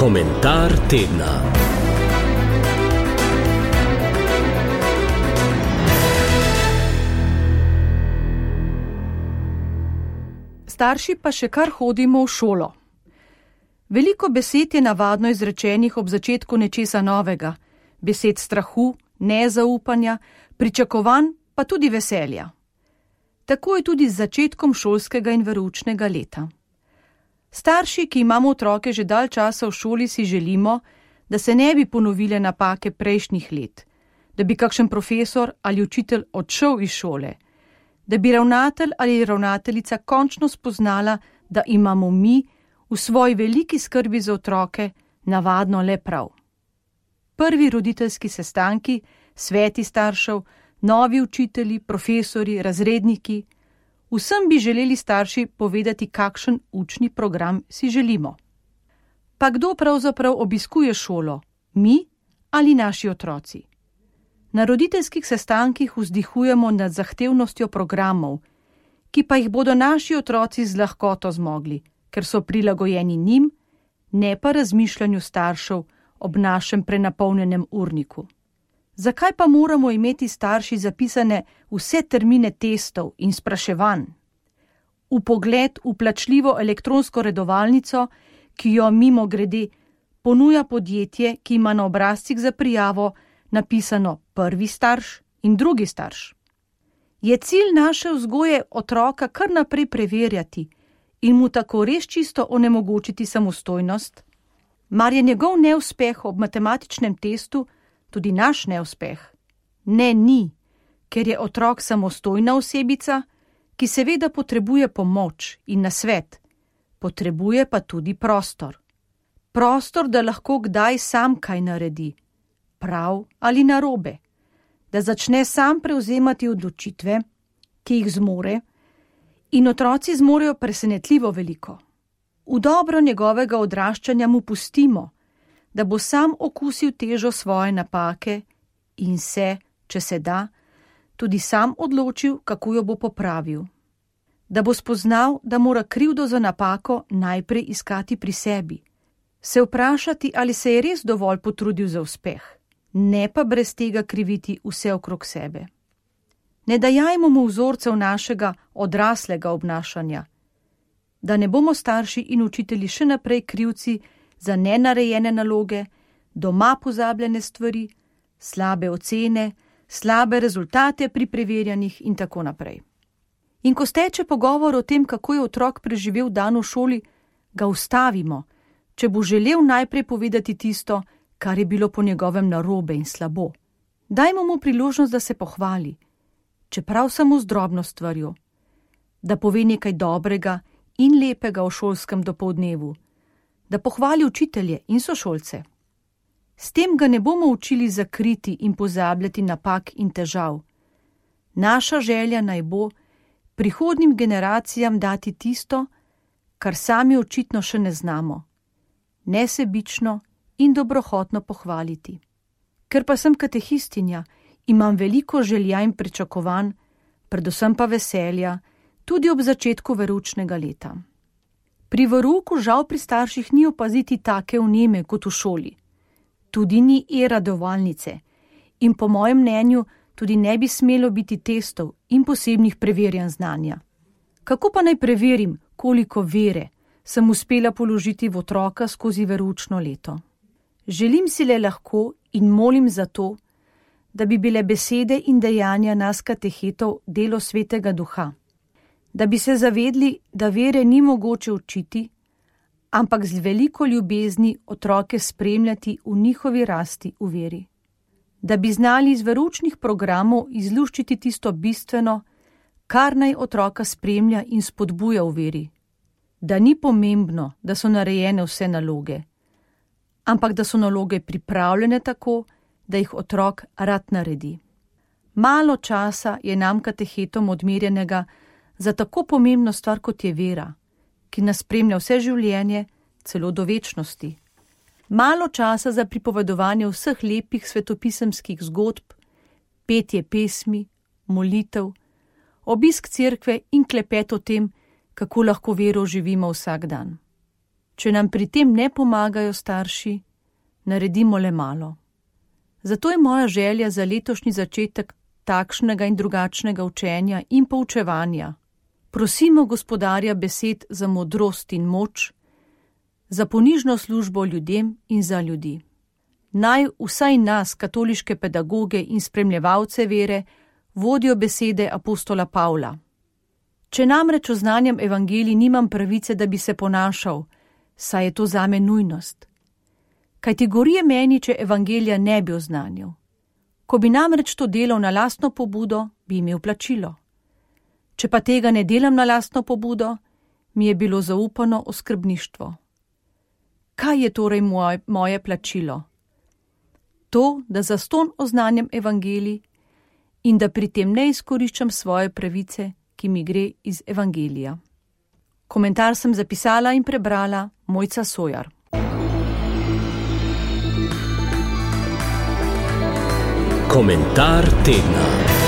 Komentar tedna. Starši pa še kar hodimo v šolo. Veliko besed je navadno izrečenih ob začetku nečesa novega, besed strahu, nezaupanja, pričakovanj pa tudi veselja. Tako je tudi z začetkom šolskega in veroučnega leta. Starši, ki imamo otroke že dalj časa v šoli, si želimo, da se ne bi ponovile napake prejšnjih let, da bi kakšen profesor ali učitelj odšel iz šole, da bi ravnatelj ali ravnateljica končno spoznala, da imamo mi v svoji veliki skrbi za otroke navadno le prav. Prvi roditeljski sestanki, sveti staršev, novi učitelji, profesori, razredniki, vsem bi želeli starši povedati, kakšen učni program si želimo. Pa kdo pravzaprav obiskuje šolo, mi ali naši otroci? Na roditeljskih sestankih vzdihujemo nad zahtevnostjo programov, ki pa jih bodo naši otroci z lahkoto zmogli, ker so prilagojeni njim, ne pa razmišljanju staršev ob našem prenapolnjenem urniku. Zakaj pa moramo imeti starši zapisane vse termine testov in spraševanj? Vpogled v plačljivo elektronsko redovalnico, ki jo mimogrede ponuja podjetje, ki ima na obrazcih za prijavo napisano prvi starš in drugi starš. Je cilj naše vzgoje otroka kar naprej preverjati in mu tako res čisto onemogočiti samostojnost? Mar je njegov neuspeh ob matematičnem testu tudi naš neuspeh? Ne, ni, ker je otrok samostojna osebica, ki seveda potrebuje pomoč in nasvet, potrebuje pa tudi prostor. Prostor, da lahko kdaj sam kaj naredi, prav ali narobe, da začne sam prevzemati odločitve, ki jih zmore, in otroci zmorejo presenetljivo veliko. V dobro njegovega odraščanja mu pustimo, da bo sam okusil težo svoje napake in se, če se da, tudi sam odločil, kako jo bo popravil. Da bo spoznal, da mora krivdo za napako najprej iskati pri sebi, se vprašati, ali se je res dovolj potrudil za uspeh, ne pa brez tega kriviti vse okrog sebe. Ne dajajmo mu vzorcev našega odraslega obnašanja, da ne bomo starši in učitelji še naprej krivci za nenarejene naloge, doma pozabljene stvari, slabe ocene, slabe rezultate pri preverjanjih in tako naprej. In ko steče pogovor o tem, kako je otrok preživel dan v šoli, ga ustavimo, če bo želel najprej povedati tisto, kar je bilo po njegovem narobe in slabo. Dajmo mu priložnost, da se pohvali, čeprav samo z drobno stvarjo, da pove nekaj dobrega in lepega o šolskem dopoldnevu, da pohvali učitelje in sošolce. S tem ga ne bomo učili zakriti in pozabljati napak in težav. Naša želja naj bo prihodnjim generacijam dati tisto, kar sami očitno še ne znamo, nesebično in dobrohotno pohvaliti. Ker pa sem katehistinja, imam veliko želja in pričakovanj, predvsem pa veselja, tudi ob začetku veroučnega leta. Pri verouku žal pri starših ni opaziti take vneme kot v šoli. Tudi ni e-radovalnice in po mojem mnenju tudi ne bi smelo biti testov in posebnih preverjanj znanja. Kako pa naj preverim, koliko vere sem uspela položiti v otroka skozi veroučno leto? Želim si le lahko in molim za to, da bi bile besede in dejanja nas katehetov delo Svetega Duha, da bi se zavedli, da vere ni mogoče učiti, ampak z veliko ljubezni otroke spremljati v njihovi rasti v veri. Da bi znali iz veroučnih programov izluščiti tisto bistveno, kar naj otroka spremlja in spodbuja v veri. Da ni pomembno, da so narejene vse naloge, ampak da so naloge pripravljene tako, da jih otrok rad naredi. Malo časa je nam katehetom odmerjenega za tako pomembno stvar, kot je vera, ki nas spremlja vse življenje, celo do večnosti. Malo časa za pripovedovanje vseh lepih svetopisemskih zgodb, petje pesmi, molitev, obisk cerkve in klepet o tem, kako lahko vero živimo vsak dan. Če nam pri tem ne pomagajo starši, naredimo le malo. Zato je moja želja za letošnji začetek takšnega in drugačnega učenja in poučevanja. Prosimo Gospodarja besed za modrost in moč, za ponižno službo ljudem in za ljudi. Naj vsaj nas, katoliške pedagoge in spremljevalce vere, vodijo besede apostola Pavla. Če namreč oznanjam evangelij, nimam pravice, da bi se ponašal, saj je to zame nujnost. Kajti gorije meni, če evangelija ne bi oznanjal. Ko bi namreč to delal na lastno pobudo, bi imel plačilo. Če pa tega ne delam na lastno pobudo, mi je bilo zaupano oskrbništvo. Kaj je torej moje plačilo? To, da zastonj oznanjam evangelij in da pri tem ne izkoriščam svoje pravice, ki mi gre iz evangelija. Komentar sem zapisala in prebrala Mojca Sojar. Komentar tedna.